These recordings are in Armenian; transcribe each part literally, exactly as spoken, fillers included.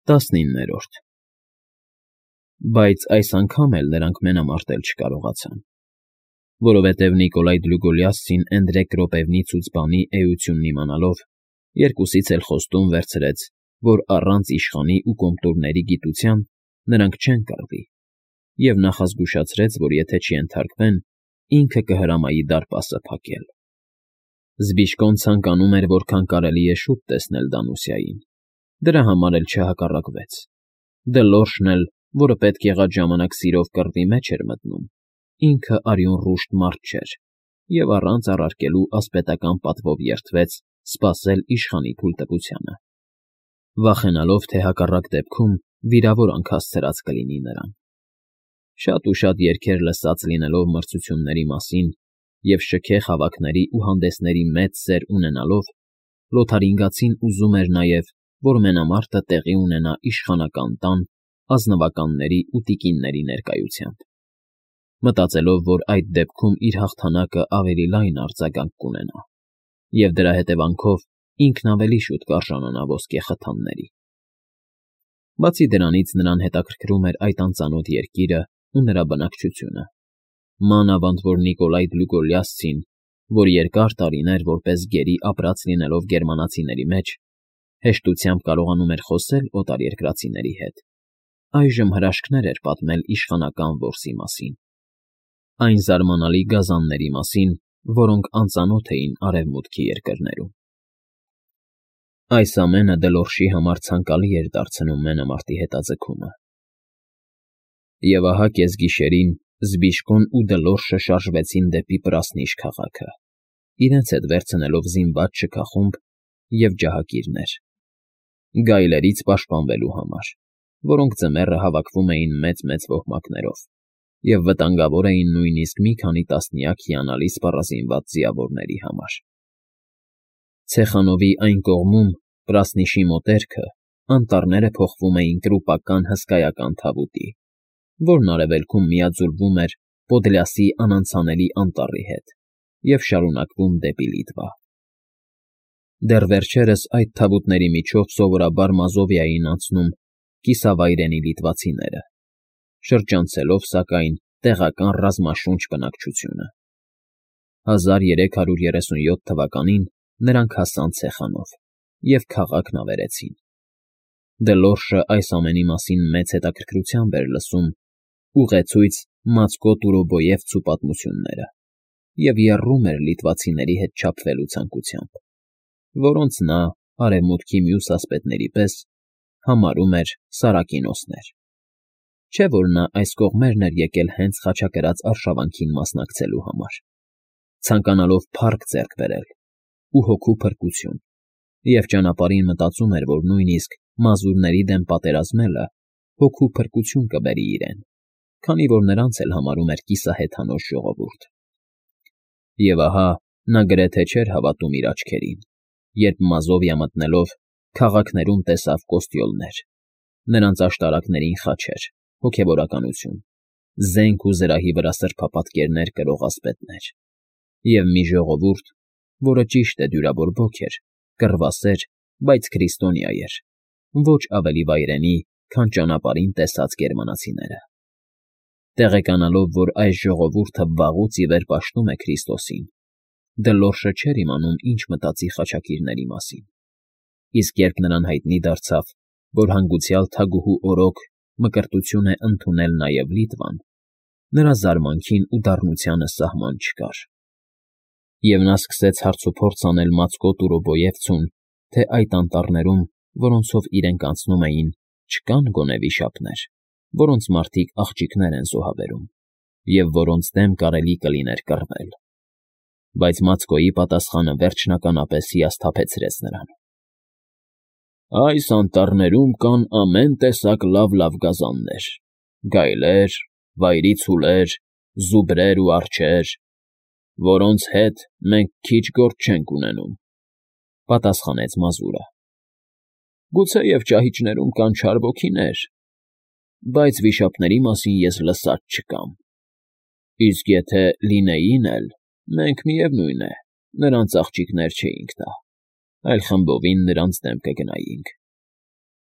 Տասնիններորդ Բայց այս անգամ էլ նրանք մենամարտել չկարողացան, որովհետև Նիկոլայ Դլուգոլիասցին Էնդրեկ Ռոպեվնիցուց բանի էությունն իմանալով, երկուսից էլ խոստում վերցրեց, որ առանց իշխանի ու կոմտուրների գիտության նրանք չեն կռվի, և նախազգուշացրեց, որ եթե չենթարկվեն, ինքը կհրամայի դարպասը փակել։ Զբիշկոն ցանկանում էր որքան կարելի է շուտ տեսնել Դանուսիային, դրա համար էլ չհակառակվեց։ Դլորշն էլ, որը պետք եղած ժամանակ սիրով կռվի մեջ էր մտնում, ինքը արյունռուշտ մարդ չէր և առանց առարկելու ասպետական պատվով երդվեց սպասել իշխանի թույլտվությանը, վախենալով, թե հակառակ դեպքում վիրավորանք հասցրած կլինի նրան։ Շատ ու շատ երգեր լսած լինելով մրցությունների մասին և շքեղ հավաքների ու հանդեսների մեծ սեր ունենալով, Լոթարինգացին ուզում էր նաև, որ մենամարտը տեղի ունենա իշխանական տան, ազնվականների ու տիկինների ներկայությամբ, մտածելով, որ այդ դեպքում իր հաղթանակը ավելի լայն արձագանք կունենա, և դրա հետևանքով ինքն ավելի շուտ կարժանանա ոսկե խթանների։ Բացի դրանից նրան հետաքրքրում էր այդ անծանոթ երկիրը ու նրա բնակչությունը, մանավանդ որ Նիկոլայ Դլուգոլիասցին, որ երկար տարիներ որպես գերի ապրած լինելով գերմանացիների մեջ, հեշտությամբ կարողանում էր խոսել օտարերկրացիների հետ, այժմ հրաշքներ էր պատմել իշխանական որսի մասին, այն զարմանալի գազանների մասին, որոնք անծանոթ էին արևմուտքի երկրներում։ Այս ամենը Դլորշի համար ցանկալի էր դարձնում մենամարտի հետաձգումը։ Եվ ահա կեսգիշերին Զբիշկոն ու Դլորշը շարժվեցին դեպի Պրասնիշ քաղաքը, իրենց հետ վերցնելով զինված շքախումբ և ջահակիրներ, գայլերից պաշտպանվելու համար, որոնք ձմեռը հավաքվում էին մեծ֊մեծ ոհմակներով և վտանգավոր էին նույնիսկ մի քանի տասնյակ հիանալի սպառազինված ձիավորների համար։ Ցեխանովի այն կողմում, Պրասնիշի մոտերքը, անտառները փոխվում էին տրուպական հսկայական թավուտի, որն արևելքում միաձուլվում էր Պոդլյասի անանցանելի անտառի հետ և շարունակվում դեպի Լիտվա։ Դեռ վերջերս այդ թավուտների միջով սովորաբար Մազովիա էին անցնում կիսավայրենի լիտվացիները, շրջանցելով, սակայն, տեղական ռազմաշունչ բնակչությունը։ հազար երեք հարյուր երեսունյոթ թվականին նրանք հասան Ցեխանով և քաղաքն ավերեցին։ Դլորշը այս ամենի մասին մեծ հետաքրքրությամբ էր լսում ուղեցույց Մացկո Տուրոբոյևցու պատմությունները և եռում էր լիտվացիների հետ չափվելու ցանկությամբ, որոնց նա, արևմուտքի մյուս ասպետների պես, համարում էր Սարակինոսներ, չէ՞ որ նա այս կողմերն էր եկել հենց խաչակրաց արշավանքին մասնակցելու համար, ցանկանալով փառք ձեռք բերել ու հոգու փրկություն, և ճանապարհին մտածում էր, որ նույնիսկ մազուրների դեմ պատերազմելը հոգու փրկություն կբերի իրեն, քանի որ նրանց էլ համարում էր կիսահեթանոց ժողովուրդ։ Եվ ահա նա գրեթե չէր հավատում իր աչքերին, երբ Մազովիա մտնելով քաղաքներում տեսավ կոստյոլներ, նրանց աշտարակներին խաչեր, հոգևորականություն, զենք ու զրահի վրա սրբապատկերներ կրող ասպետներ, և մի ժողովուրդ, որը ճիշտ է դյուրավոր էր, կռվասեր, բայց քրիստոնյա էր, ոչ ավելի վայրենի, քան ճանապարհին տեսած գերմանացիները։ Տեղեկանալով, որ այս ժողովուրդը վաղուց ի վեր պաշտում է Քրիստոսին, Դլորշը չէր իմանում ինչ մտածի խաչակիրների մասին, իսկ երբ նրան հայտնի դարձավ, որ հանգուցյալ թագուհու օրոք Մկրտություն է ընդունել նաև Լիտվան, նրա զարմանքին ու դառնությանը սահման չկար։ Եվ նա սկսեց հարցուփորձ անել Մացկո Տուրոբոյևցուն, թե այդ անտառներում, որոնցով իրենք անցնում էին, չկան գոնե վիշապներ, որոնց մարդիկ աղջիկներ են զոհաբերում, և որոնց դեմ կարելի կլիներ կռվել։ Բայց Մացկոյի պատասխանը վերջնականապես հիասթափեցրեց նրան։ Այս անտառներում կան ամեն տեսակ լավ֊լավ գազաններ, գայլեր, վայրի ցուլեր, զուբրեր ու արջեր, որոնց հետ մենք քիչ գործ չենք ունենում, ֊ պատասխանեց մազուրը։ Գուցեև ճահիճներում կան չար ոգիներ, բայց վիշապների մասին ես լսած չկամ, իսկ եթե լինեին էլ, մենք, միևնույն է, նրանց աղջիկներ չէինք տա, այլ խմբովին նրանց դեմ կգնայինք։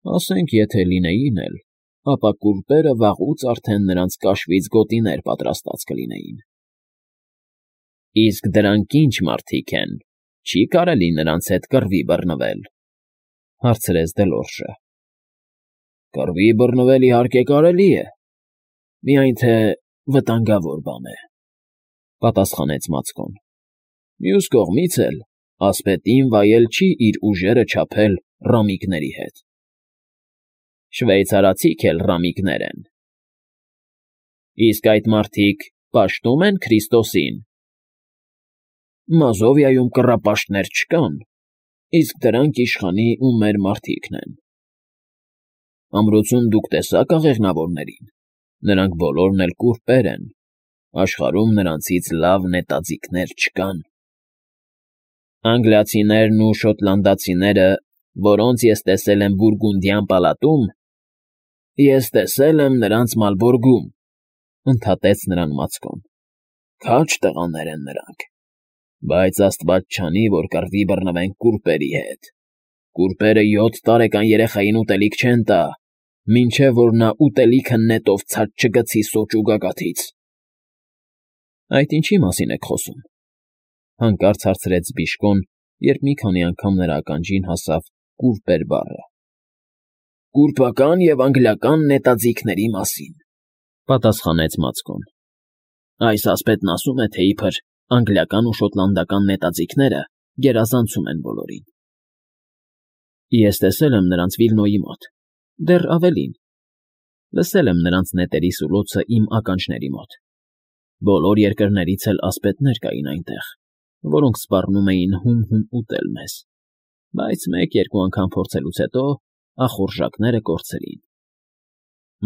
Ասենք, եթե լինեին էլ, ապա կուրպերը վաղուց արդեն նրանց կաշվից գոտիներ պատրաստած կլինեին։ ֊ Իսկ դրանք ի՞նչ մարդիկ են, չի՞ կարելի նրանց հետ կռվի բռնվել,֊ հարցրեց Դելորժը։ ֊ Կռվի բռնվել, իհարկե, կարելի է, միայն թե վտանգավոր բան է,֊ պատասխանեց Մացկոն։ Մյուս կողմից էլ ասպետին վայել չի իր ուժերը չափել ռամիկների հետ։ ֊ Շվեյցարացիք էլ ռամիկներ են։ ֊ Իսկ այդ մարդիկ պաշտում են Քրիստոսին։ ֊ Մազովիայում կռապաշտներ չկան, իսկ դրանք իշխանի ու մեր մարդիկն են։ ֊ Ամրոցում դուք տեսա՞ք աղեղնավորներին. նրանք բոլորն էլ կուրպեր են, աշխարհում նրանցից լավ նետաձիգներ չկան։ ֊ Անգլիացիներն ու շոտլանդացիները, որոնց ես տեսել եմ Բուրգունդյան պալատում, ես տեսել եմ նրանց Մալբորգում,֊ ընդհատեց նրան Մացկոն։ Քաջ տղաներ են նրանք, բայց աստված չանի, որ կռվի բռնվեն կուրպերի հետ։ Կուրպերը յոթ տարեկան երեխային ուտելիք չեն տա, մինչև որ նա ուտելիքը նետով ցած չգցի սոճու գագաթից։ ֊ Այդ ինչի՞ մասին եք խոսում,֊ հանկարծ հարցրեց Բիժկոն, երբ մի քանի անգամ նրա ականջին հասավ կուրպեր բառը։ ֊ Կուրպական և անգլիական նետաձիգների մասին,֊ պատասխանեց Մացկոն։ Այս ասպետն ասում է, թե իբր անգլիական ու շոտլանդական նետաձիգները գերազանցում են բոլորին։ ֊ Ես տեսել եմ նրանց Վիլնոյի մոտ, դեռ ավելին, լսել եմ նրանց նետերի սուլոցը իմ ականջների մոտ։ Բոլոր երկրներից էլ ասպետներ կային այնտեղ, որոնք սպառնում էին հում֊հում ուտել մեզ, բայց մեկ֊երկու անգամ փորձելուց հետո ախորժակները կորցրին։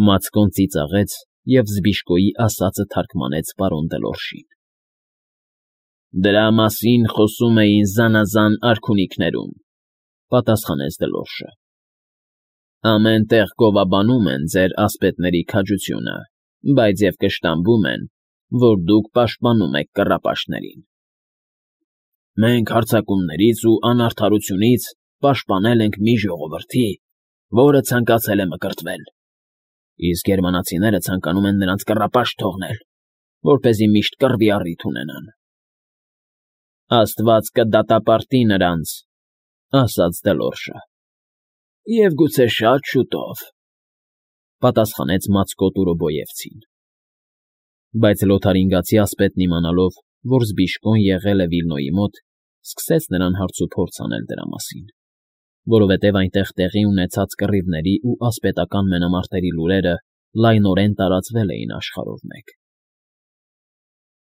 Մացկոն ծիծաղեց և Զբիժկոյի ասածը թարգմանեց պարոն Դելորժին։ ֊ Դրա մասին խոսում էին զանազան արքունիքներում,֊ պատասխանեց Դելորժը։ Ամեն տեղ գովաբանում են ձեր ասպետների քաջությունը, բայց և կշտամբում են, որ դուք պաշտպանում եք կռապաշտներին։ ֊ Մենք հարձակումներից ու անարդարությունից պաշտպանել ենք մի ժողովրդի, որը ցանկացել է մկրտվել, իսկ գերմանացիները ցանկանում են նրանց կռապաշտ թողնել, որպեսզի միշտ կռվի առիթ ունենան։ ֊ Աստված կդատապարտի նրանց,֊ ասաց Դելորժը։ ֊ Եվ գուցե շատ շուտով,֊ պատասխանեց Մացկո Տուրոբոյևցին։ Բայց լոթարինգացի ասպետն իմանալով, որ Զբիժկոն եղել է Վիլնոյի մոտ, սկսեց նրան հարցուփորձ անել դրա մասին, որովհետև այնտեղ տեղի ունեցած կռիվների ու ասպետական մենամարտերի լուրերը լայնորեն տարածվել էին աշխարհով մեկ։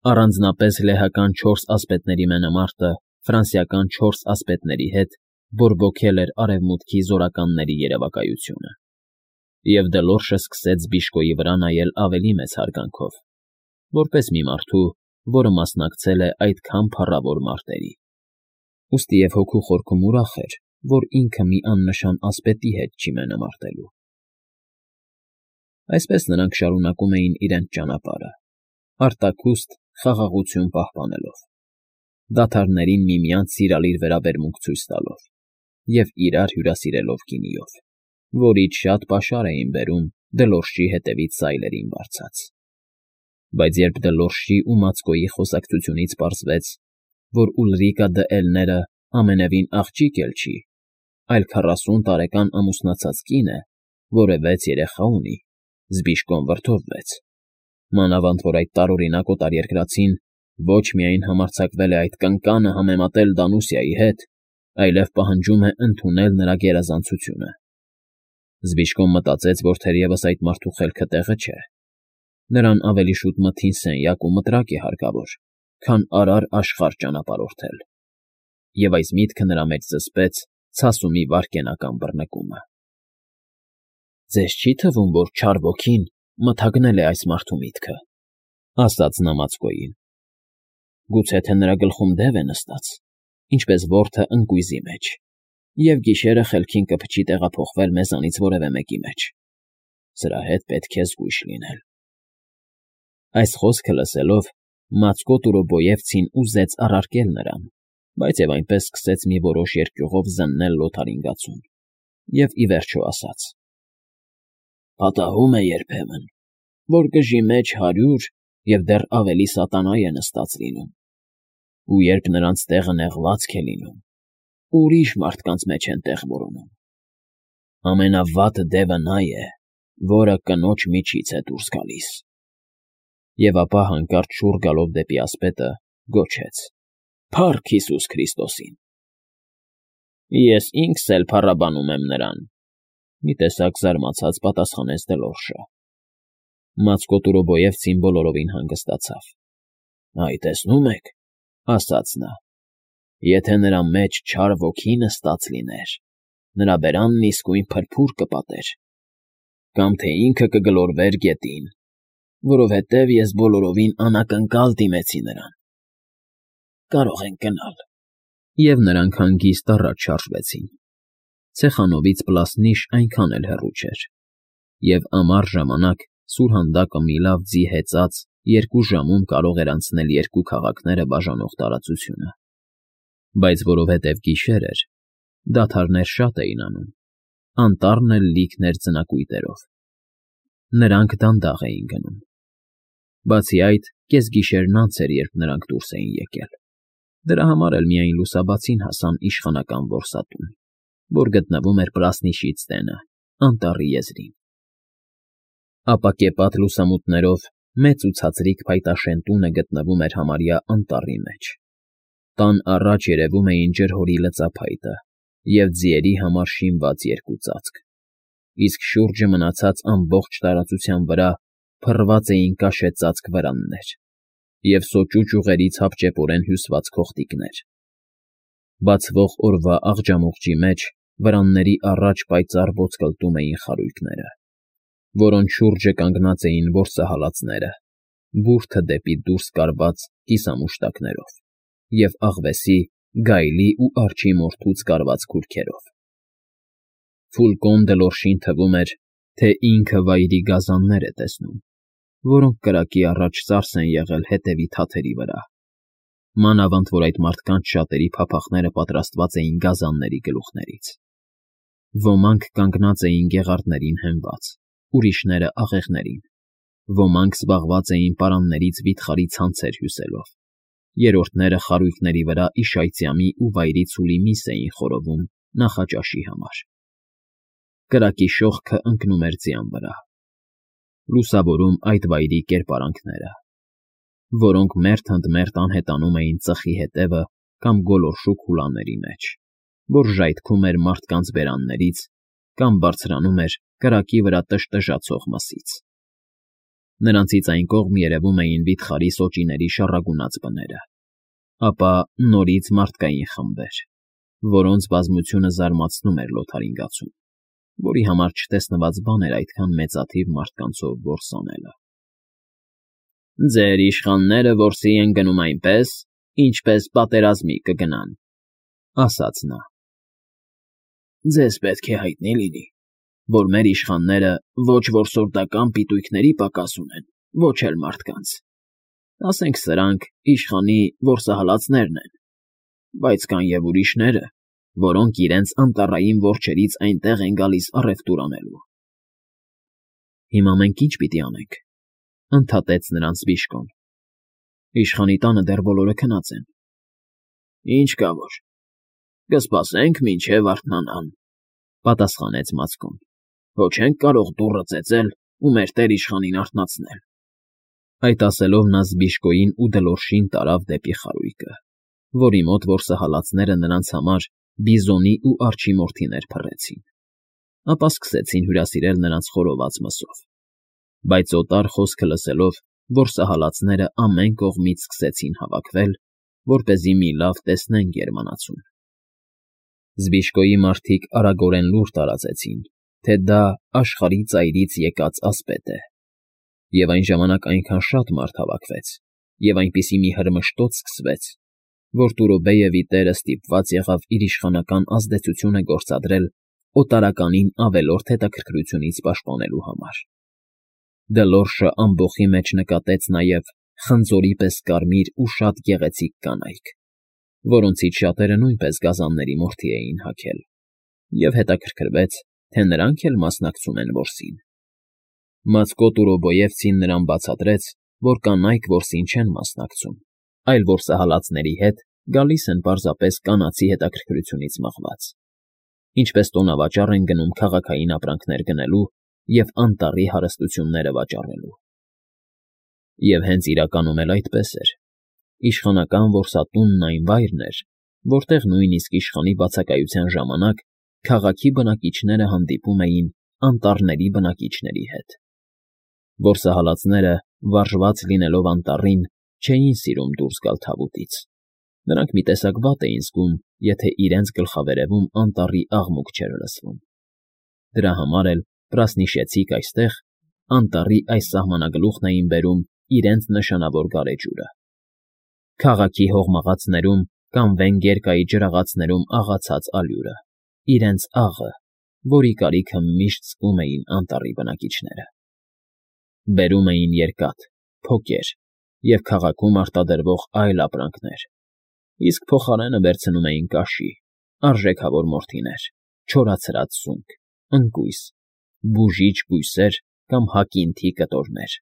Առանձնապես լեհական չորս ասպետների մենամարտը ֆրանսիական չորս ասպետների հետ բորբոքել էր Արևմուտքի զորականների երևակայությունը, և Դելորժը սկսեց Զբիժկոյի վրա նայել ավելի մեծ հարգանքով, որպես մի մարդու, որը մասնակցել է այդքան փառավոր մարտերի։ Ուստի և հոգու խորքում ուրախ էր, որ ինքը մի աննշան ասպետի հետ չի մենամարտելու։ Այսպես նրանք շարունակում էին իրենց ճանապարհը, արտաքուստ խաղաղություն պահպանելով, դադարներին միմյանց սիրալիր վերաբերմունք ցույց տալով և իրար հյուրասիրելով գինիով, որից շատ պաշար էին բերում Դելորժի հետևից սայլերին բարձած։ Բայց երբ Դելորժի ու Մացկոյի խոսակցությունից պարզվեց, որ Ուլրիկա դը Էլները ամենևին աղջիկ էլ չի, այլ քառասուն տարեկան ամուսնացած կին է, որը վեց երեխա ունի, Զբիժկոն վրդովվեց, մանավանդ որ այդ տարօրինակ օտարերկրացին ոչ միայն համարձակվել է այդ կնկանը համեմատել Դանուսիայի հետ, այլև պահանջում է ընդունել նրա գերազանցությունը։ Զբիժկոն մտածեց, որ թերևս այդ մարդու խելքը տեղը չէ։ Նրան ավելի շուտ մթին սենյակ ու մտրակ է հարկավոր, քան արար աշխարհ ճանապարհորդել, և այս միտքը նրա մեջ զսպեց ցասումի վայրկենական բռնկումը։ ֊ Ձեզ չի՞ թվում, որ չար ոգին մթագնել է այս մարդու միտքը,֊ ասաց նա Մացկոյին։ ֊ Գուցե թե նրա գլխում դև է նստած, ինչպես որթը ընկույզի մեջ, և գիշերը խելքին կփչի տեղափոխվել մեզանից որևէ մեկի մեջ։ Սրա հետ պետք է զգույշ լինել։ Այս խոսքը լսելով, Մացկո Տուրոբոյևցին ուզեց առարկել նրան, բայց և այնպես սկսեց մի որոշ երկյուղով զննել լոթարինգացուն և, ի վերջո, ասաց. Պատահում է երբեմն, որ գժի մեջ հարյուր և դեռ ավելի սատանա է նստած լինում, ու երբ նրանց տեղը նեղվածք է լինում, ուրիշ մարդկանց մեջ են տեղ որոնում. ամենավատը դևը նա է, որը կնոջ միջից է դուրս գալիս։ Եվ ապա հանկարծ շուռ գալով դեպի ասպետը, գոչեց. «Փառք Հիսուս Քրիստոսին»։ Ես ինքս էլ փառաբանում եմ նրան, մի տեսակ զարմացած պատասխանեց Դելորժը։ Մածկոտուրոբոյևցին բոլորովին հանգստացավ։ Այ տեսնում եք, ասաց նա, եթե նրա մեջ չար ոգի նստած լիներ, նրա բերանն իսկույն փրփուր կպատեր, կամ թե ինքը կգլորվեր գետին, որովհետև ես բոլորովին անակնկալ դիմեցի նրան։ Կարող ենք գնալ։ Եվ նրանք հանգիստ առաջ շարժվեցին։ Ցեխանովից Պլասնիշ այնքան էլ հեռու չէր, և ամառ ժամանակ սուրհանդակը մի լավ ձի հեծած երկու ժամում կարող էր անցնել երկու քաղաքները բաժանող տարածությունը։ Բայց որովհետև գիշեր էր, դադարներ շատ էին անում, անտառն էլ լիքն էր ձնակույտերով։ Նրանք դանդաղ էին գնում։ Բացի այդ, կեսգիշերն անց էր, երբ նրանք դուրս էին եկել։ Դրա համար էլ միայն լուսաբացին հասան իշխանական որսատուն, որ գտնվում էր Պլասնիշից տենը, անտառի եզրին։ Ապակեպատ լուսամուտներով մեծ ու ցածրիկ փայտաշեն տունը գտնվում էր համարյա անտառի մեջ։ Տան առաջ երևում էին ջրհորի լծափայտը և ձիերի համար շինված երկու ծածկ, իսկ շուրջը մնացած ամբողջ տարածության վրա փռված էին կաշեծածկ վրաններ և սոճու ճյուղերից հապճեպորեն հյուսված քոխտիկներ։ Բացվող օրվա աղջամուղջի մեջ վրանների առաջ պայծառ ոսկլտում էին խարույկները, որոնց շուրջը կանգնած էին որսահալածները, բուրդը դեպի դուրս կարված կիսամուշտակներով և աղվեսի, գայլի ու արջի մորթուց կարված քուրքերով։ Ֆուլկոն Դելորժին թվում էր, թե ինքը վայրի գազաններ է տեսնում, որոնք կրակի առաջ ծարս են եղել հետևի թաթերի վրա, մանավանդ որ այդ մարդկանց շատերի փափախները պատրաստված էին գազանների գլուխներից։ Ոմանք կանգնած էին գեղարդներին հենված, ուրիշները աղեղներին, ոմանք զբաղված էին պարաններից վիթխարի ցանցեր հյուսելով, երրորդները խարույկների վրա իշայծյամի ու վայրի ցուլի միս էին խորովում նախաճաշի համար։ Կրակի շողքը ընկնում էր ձյան վրա, լուսավորում այդ վայրի կերպարանքները, որոնք մերթ ընդ մերթ անհետանում էին ծխի հետևը կամ գոլորշու քուլաների մեջ, որ ժայթքում էր մարդկանց բերաններից կամ բարձրանում էր կրակի վրա տժտժացող մսից։ Նրանցից այն կողմ երևում էին վիթխարի սոճիների շառագունած բները, ապա նորից մարդկային խմբեր, որոնց բազմությունը զարմացնում էր Լոթարին գացուն, որի համար չտեսնված բան էր այդքան մեծաթիվ մարդկանցով որս անելը։ Ձեր իշխանները որսի են գնում այնպես, ինչպես պատերազմի կգնան, ասաց նա։ Ձեզ պետք է հայտնի լինի, որ մեր իշխանները ոչ որսորդական պիտույքների պակաս ունեն, ոչ էլ մարդկանց։ Ասենք սրանք իշխանի որսահալածներն են, բայց կան և ուրիշները, որոնք իրենց անտառային որջերից այնտեղ են գալիս առևտուր անելու։ Հիմա մենք ի՞նչ պիտի անենք, ընդհատեց նրանց Բիժկոն։ Իշխանի տանը դեռ բոլորը քնած են։ Ինչ կա որ, կսպասենք մինչև արթնանան, պատասխանեց Մածկոն։ Ոչ ենք կարող դուռը ծեծել ու մեր տեր֊իշխանին արթնացնել։ Այդ ասելով նա Զբիժկոյին ու Դլորժին տարավ դեպի խարույկը, որի մոտ որսահալածները նրանց համար բիզոնի ու արջի մորթիներ փռեցին, ապա սկսեցին հյուրասիրել նրանց խորոված մսով։ Բայց օտար խոսքը լսելով, որսահալածները ամեն կողմից սկսեցին հավաքվել, որպեսզի մի լավ տեսնեն գերմանացուն։ Զբիժկոյի մարդիկ արագորեն լուր տարածեցին, թե դա աշխարհի ծայրից եկած ասպետ է, և այն ժամանակ այնքան շատ մարդ հավաքվեց, և այնպիսի մի հրմշտոց սկսվեց, որ Տուրոբեևի տերը ստիպված եղավ իր իշխանական ազդեցությունը գործադրել օտարականին ավելորդ հետաքրքրությունից պաշտպանելու համար։ Դելորժը ամբոխի մեջ նկատեց նաև խնձորի պես կարմիր ու շատ գեղեցիկ կանայք, որոնցից շատերը նույնպես գազանների մորթի էին հագել, և հետաքրքրվեց, թե նրանք էլ մասնակցում են որսին։ Մացկոտ Ուրոբոևցին նրան բացատրեց, որ կանայք որսին չեն մասնակցում, այլ որսահալածների հետ գալիս են պարզապես կանացի հետաքրքրությունից մղված, ինչպես տոնավաճառ են գնում քաղաքային ապրանքներ գնելու և անտառի հարստությունները վաճառելու։ Եվ հենց իրականում էլ այդպես էր. իշխանական որսատունն այն վայրն էր, որտեղ նույնիսկ իշխանի բացակայության ժամանակ քաղաքի բնակիչները հանդիպում էին անտառների բնակիչների հետ։ Որսահալածները, վարժված լինելով անտառին, չէին սիրում դուրս գալ թավուտից։ Նրանք մի տեսակ վատ էին զգում, եթե իրենց գլխավերևում անտառի աղմուկ չէր լսվում։ Դրա համար էլ Պրասնիշեցիք այստեղ, անտառի այս սահմանագլուխն էին բերում իրենց նշանավոր գարեջուրը։ Քաղաքի հողմաղացներում կամ Վենգերկայի ջրաղացներում աղացած ալյուրը, իրենց աղը, որի կարիքը միշտ զգում էին անտառի բնակիչները։ Բերում էին երկաթ, փոկեր և քաղաքում արտադրվող այլ ապրանքներ, իսկ փոխարենը վերցնում էին կաշի, արժեքավոր մորթիներ, չորացրած սունկ, ընկույզ, բուժիչ բույսեր կամ հակինթի կտորներ,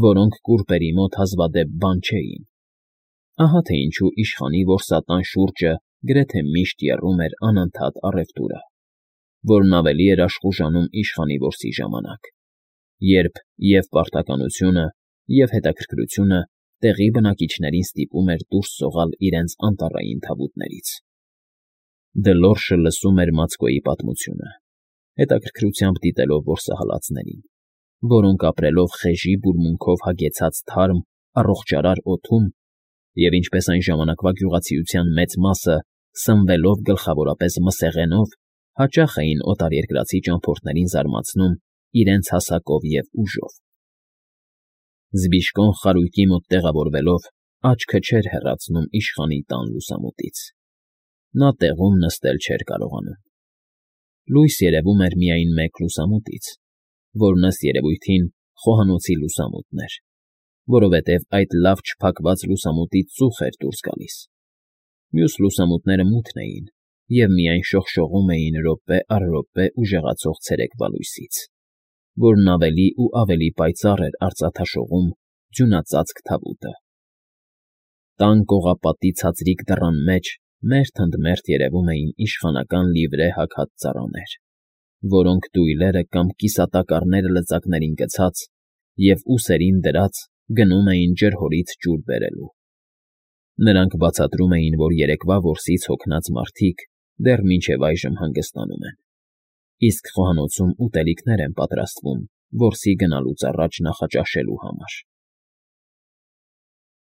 որոնք կուռպերի մոտ հազվադեպ բան չէին։ Ահա թե ինչու իշխանի որսատան շուրջը գրեթե միշտ եռում էր անընդհատ առևտուրը, որն ավելի էր աշխուժանում իշխանի որսի ժամանակ, երբ և պարտականությունը, և հետաքրքրությունը տեղի բնակիչներին ստիպում էր դուրս սողալ իրենց անտառային թավուտներից։ Դլորշը լսում էր Մացկոյի պատմությունը, հետաքրքրությամբ դիտելով որսահալածներին, որոնք ապրելով խեժի բուրմունքով հագեցած թարմ, առողջարար օդում և, ինչպես այն ժամանակվա գյուղացիության մեծ մասը, սնվելով գլխավորապես մսեղենով, հաճախ էին օտարերկրացի ճամփորդներին զարմացնում իրենց հասակով և ուժով։ Զբիշկոն խարույկի մոտ տեղավորվելով աչքը չէր հեռացնում իշխանի տան լուսամուտից։ Նա տեղում նստել չէր կարողանում։ Լույս երևում էր միայն մեկ լուսամուտից, որն ըստ երևույթին խոհանոցի լուսամուտն էր, որովհետև այդ լավ չփակված լուսամուտից ծուխ էր դուրս գալիս։ Մյուս լուսամուտները մութն էին և միայն շողշողում էին րոպե առ րոպե ուժեղացող ցերեկվա լույսից, որն ավելի ու ավելի պայծառ էր արծաթաշողում ձյունածածկ թավուտը։ Տան կողապատի ցածրիկ դռան մեջ մերթ ընդ մերթ երևում էին իշխանական լիվրե հագած ծառաներ, որոնք դույլերը կամ կիսատակառները լծակներին գցած և ուսերին դրած գնում էին ջրհորից ջուր բերելու։ Նրանք բացատրում էին, որ երեկվա որսից հոգնած մարդիկ դեռ մինչև այժմ հանգստանում են, իսկ խոհանոցում ուտելիքներ են պատրաստվում որսի գնալուց առաջ նախաճաշելու համար։